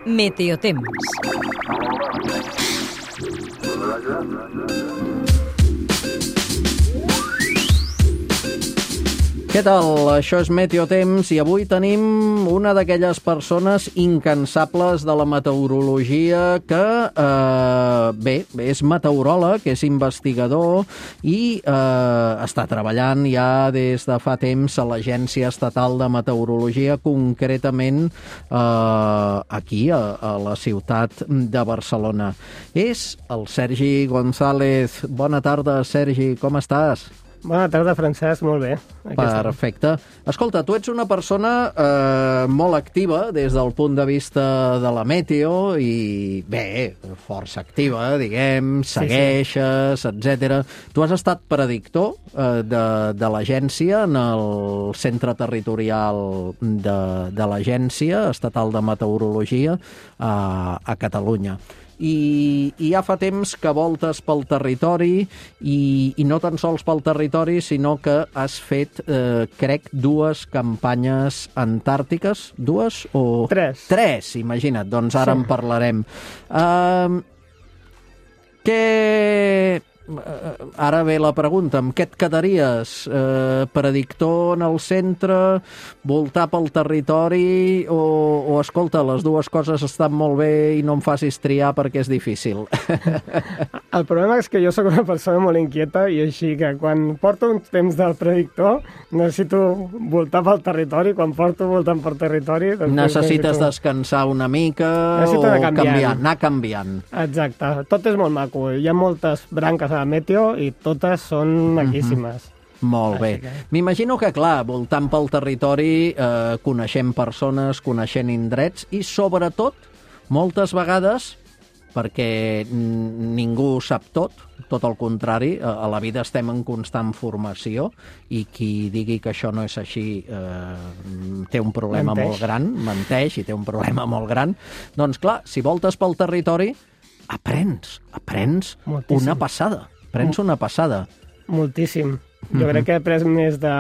Meteotemps. Què tal? Això és Meteotemps i avui tenim una d'aquelles persones incansables de la meteorologia que, és meteoròleg, és investigador i està treballant ja des de fa temps a l'Agència Estatal de Meteorologia, concretament aquí, a la ciutat de Barcelona. És el Sergi González. Bona tarda, Sergi, com estàs? Bona tarda, Francesc, molt bé. Perfecte. Escolta, tu ets una persona molt activa des del punt de vista de la meteo i, bé, força activa, diguem, segueixes, etc. Tu has estat predictor de l'agència en el centre territorial de l'Agència Estatal de Meteorologia a Catalunya. I ja fa temps que voltes pel territori i no tan sols pel territori, sinó que has fet, crec, 2 campanyes antàrtiques. 2 o... 3. 3, imagina't. Doncs ara en parlarem. Ara ve la pregunta, amb què et quedaries? Predictor en el centre, voltar pel territori o escolta, les 2 coses estan molt bé i no em facis triar perquè és difícil? El problema és que jo sóc una persona molt inquieta i així que quan porto un temps del predictor necessito voltar pel territori, quan porto voltant pel territori... Necessites descansar una mica o anar canviant. Exacte, tot és molt maco, hi ha moltes branques a la meteo i totes són maquíssimes. Molt bé. M'imagino que, clar, voltant pel territori coneixem persones, coneixent indrets i, sobretot, moltes vegades, perquè ningú sap tot el contrari, a la vida estem en constant formació i qui digui que això no és així té un problema molt gran, menteix i té un problema molt gran. Doncs, clar, si voltes pel territori, aprens moltíssim. Una passada. Moltíssim. Jo crec que he après més de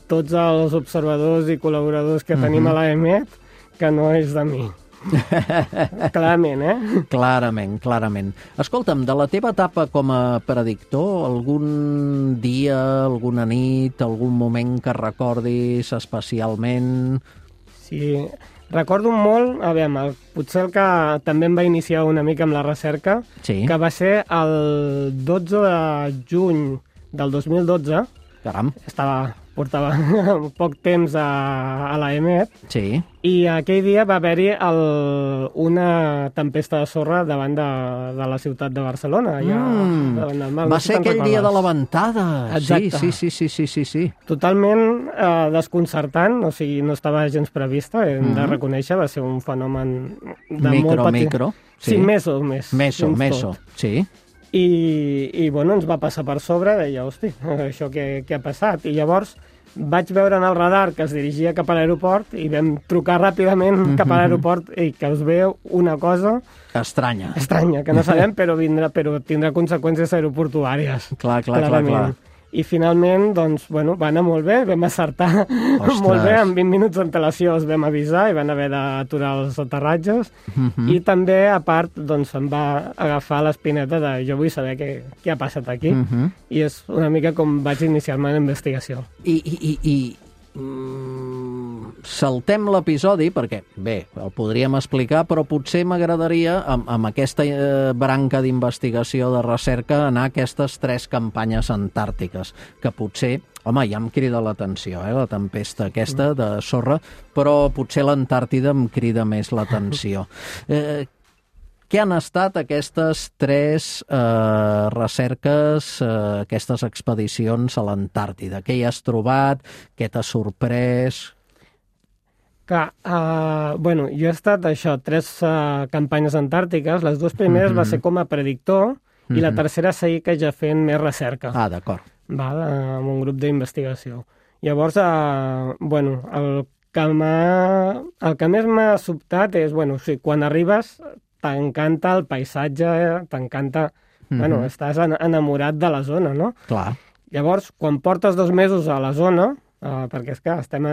tots els observadors i col·laboradors que tenim a l'AEMET que no és de mi. Clarament, Clarament. Escolta'm, de la teva etapa com a predictor, algun dia, alguna nit, algun moment que recordis especialment? Sí, recordo molt, potser el que també em va iniciar una mica amb la recerca, que va ser el 12 de juny del 2012. Caram. Portava poc temps a l'AEMET, i aquell dia va haver-hi una tempesta de sorra davant de la ciutat de Barcelona. Va ser aquell dia de la ventada. Exacte. Sí. Totalment desconcertant, o sigui, no estava gens prevista, hem de reconèixer, va ser un fenomen de molt petit. Micro. Sí, meso, sí. I bueno, ens va passar per sobre, deia, hosti, això què ha passat? I llavors vaig veure en el radar que es dirigia cap a l'aeroport i vam trucar ràpidament cap a l'aeroport i que us veu una cosa... Estranya, que no sabem, però tindrà conseqüències aeroportuàries. Clar. I finalment, doncs, bueno, va anar molt bé, vam acertar molt bé, en 20 minuts d'antelació els vam avisar i van haver d'aturar els aterratges, i també, a part, doncs, em va agafar l'espineta de jo vull saber què ha passat aquí, i és una mica com vaig iniciar-me en la investigació. Saltem l'episodi perquè, bé, el podríem explicar, però potser m'agradaria, amb aquesta branca d'investigació de recerca, anar a aquestes 3 campanyes antàrtiques, que potser, home, ja em crida l'atenció, la tempesta aquesta de sorra, però potser l'Antàrtida em crida més l'atenció. Què han estat aquestes 3 recerques, aquestes expedicions a l'Antàrtida? Què hi has trobat? Què t'ha sorprès? Jo he estat 3 campanyes antàrtiques. Les 2 primeres va ser com a predictor i la tercera seguir ja fent més recerca. D'acord. Amb un grup d'investigació. Llavors, el que més m'ha sobtat és, quan arribes t'encanta el paisatge, t'encanta... Estàs enamorat de la zona, no? Clar. Llavors, quan portes 2 mesos a la zona, perquè és que estem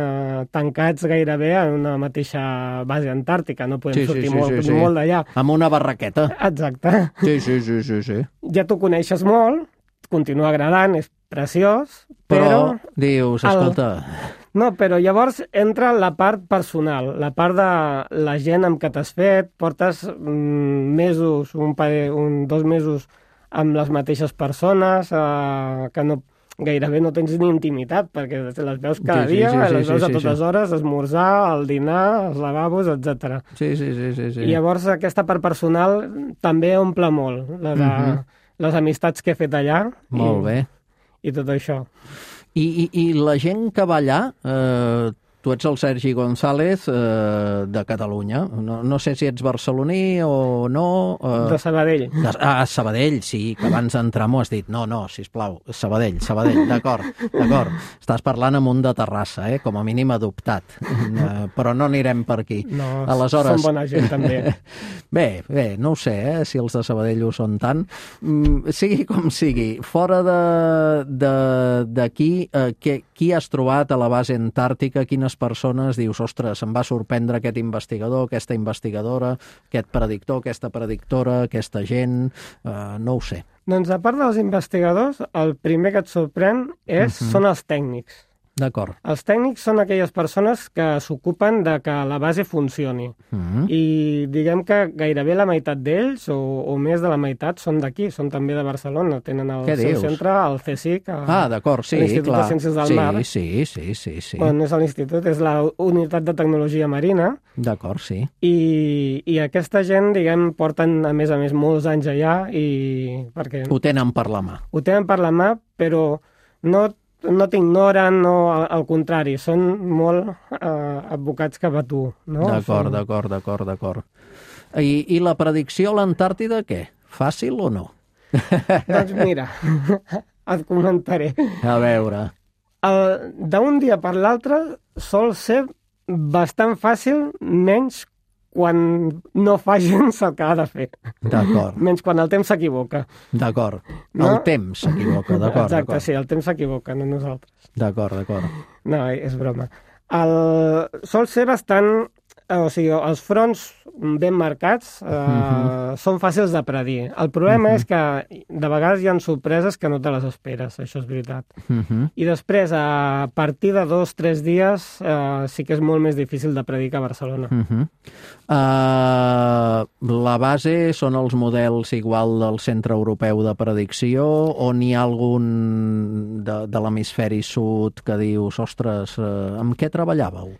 tancats gairebé en una mateixa base antàrtica, no podem sortir molt d'allà. Amb una barraqueta. Exacte. Sí. Ja t'ho coneixes molt, continua agradant, és preciós, però dius, escolta... No, però llavors entra la part personal, la part de la gent amb què t'has fet, portes mesos, 2 mesos amb les mateixes persones, que gairebé no tens ni intimitat, perquè les veus cada dia, les veus a totes hores, esmorzar, el dinar, els lavabos, etc. Sí. I llavors aquesta part personal també omple molt, la de les amistats que he fet allà. Molt bé. I tot això. I la gent que va allà, tu ets el Sergi González de Catalunya, no sé si ets barceloní o no... De Sabadell. Sabadell, sí, que abans d'entrar m'ho has dit. No, sisplau, Sabadell, d'acord. Estàs parlant amb un de Terrassa, com a mínim adoptat, però no anirem per aquí. No, aleshores... són bona gent també. Bé, no ho sé, si els de Sabadell ho són tant. Sigui com sigui, fora d'aquí, qui has trobat a la base antàrtica, quines persones dius, ostres, em va sorprendre aquest investigador, aquesta investigadora, aquest predictor, aquesta predictora, aquesta gent, no ho sé. Doncs a part dels investigadors, el primer que et sorprèn són els tècnics. D'acord. Els tècnics són aquelles persones que s'ocupen de que la base funcioni. I diguem que gairebé la meitat d'ells, o més de la meitat, són d'aquí, són també de Barcelona. Tenen el seu centre, el CSIC, d'acord, sí, l'Institut de Ciències del Mar. Sí. Bueno, no és l'institut, és la Unitat de Tecnologia Marina. D'acord, sí. I aquesta gent, diguem, porten, a més, molts anys allà perquè... Ho tenen per la mà. Ho tenen per la mà, però no t'ignoren, al contrari, són molt advocats cap a tu. No? D'acord. I la predicció a l'Antàrtida, què? Fàcil o no? Doncs mira, et comentaré. A veure. D'un dia per l'altre sol ser bastant fàcil, menys quan no fa gens el que ha de fer. D'acord. Menys quan el temps s'equivoca. D'acord. El temps s'equivoca, d'acord. Exacte, sí, el temps s'equivoca, no nosaltres. D'acord. No, és broma. Sol ser bastant... O sigui, els fronts ben marcats són fàcils de predir. El problema és que de vegades hi ha sorpreses que no te les esperes, això és veritat. I després, a partir de 2-3 dies, sí que és molt més difícil de predir que a Barcelona. La base són els models igual del Centre Europeu de Predicció o n'hi ha algun de l'hemisferi sud que dius, ostres, amb què treballàveu?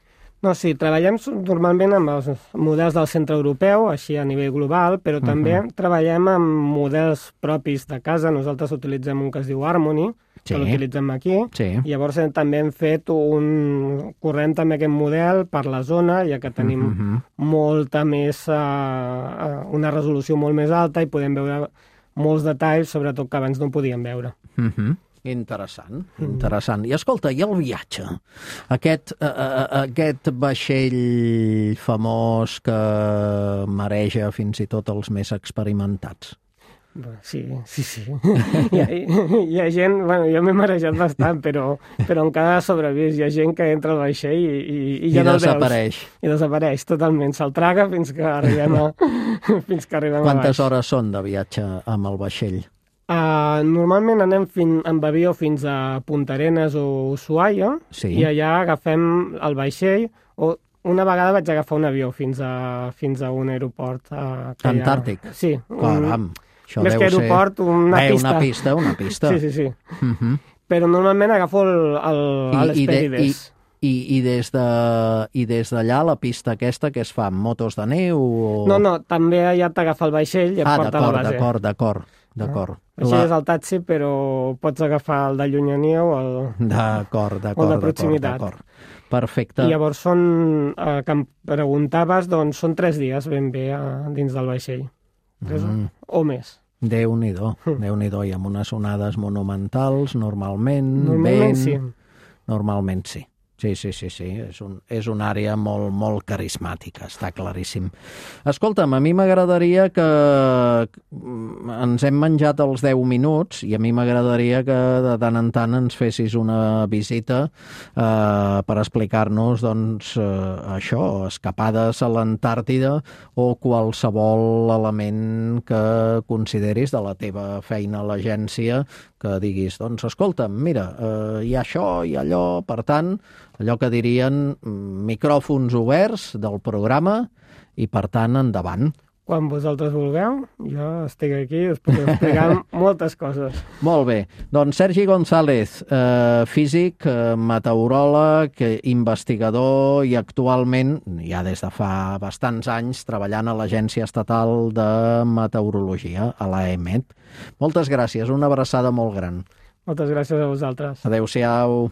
No, sí, treballem normalment amb els models del centre europeu, així a nivell global, però també treballem amb models propis de casa. Nosaltres utilitzem un que es diu Harmony, que l'utilitzem aquí. I llavors també hem fet corrent també aquest model per la zona, ja que tenim molta més, una resolució molt més alta i podem veure molts detalls, sobretot que abans no podíem veure. Interessant. I escolta, i el viatge? Aquest vaixell famós que mareja fins i tot els més experimentats. Sí. Hi ha gent... Bueno, jo m'he marejat bastant, però encara ha sobrevist. Hi ha gent que entra al vaixell i ja no el veus. I desapareix totalment. Se'l traga fins que arribem a baix. Quantes hores són de viatge amb el vaixell? Normalment anem amb avió fins a Punta Arenas o Ushuaia i allà agafem el vaixell o una vegada vaig agafar un avió fins a un aeroport. Antàrtic? Sí. Caram, això més que aeroport, una pista. Una pista. Sí. Però normalment agafo l'Hesperides. I des d'allà la pista aquesta que es fa amb motos de neu? No, també allà t'agafa el vaixell i et porta a la base. D'acord. Així és el taxi, però pots agafar el de llunyania o el de proximitat. Perfecte. I llavors que em preguntaves, doncs són 3 dies ben bé dins del vaixell. 3 o més. Déu-n'hi-do, i amb unes onades monumentals, normalment Normalment sí. Normalment sí. Sí. És una àrea molt carismàtica, està claríssim. Escolta'm, a mi m'agradaria que ens hem menjat els 10 minuts i a mi m'agradaria que de tant en tant ens fessis una visita per explicar-nos doncs, això, escapades a l'Antàrtida o qualsevol element que consideris de la teva feina a l'agència que diguis, doncs escolta'm, mira, hi ha això, hi ha allò, per tant, allò que dirien micròfons oberts del programa i, per tant, endavant. Quan vosaltres vulgueu, jo estic aquí i us puc explicar moltes coses. Molt bé. Doncs Sergi González, físic, meteoròleg, investigador i actualment, ja des de fa bastants anys, treballant a l'Agència Estatal de Meteorologia, a l'AEMET. Moltes gràcies, una abraçada molt gran. Moltes gràcies a vosaltres. Adéu-siau.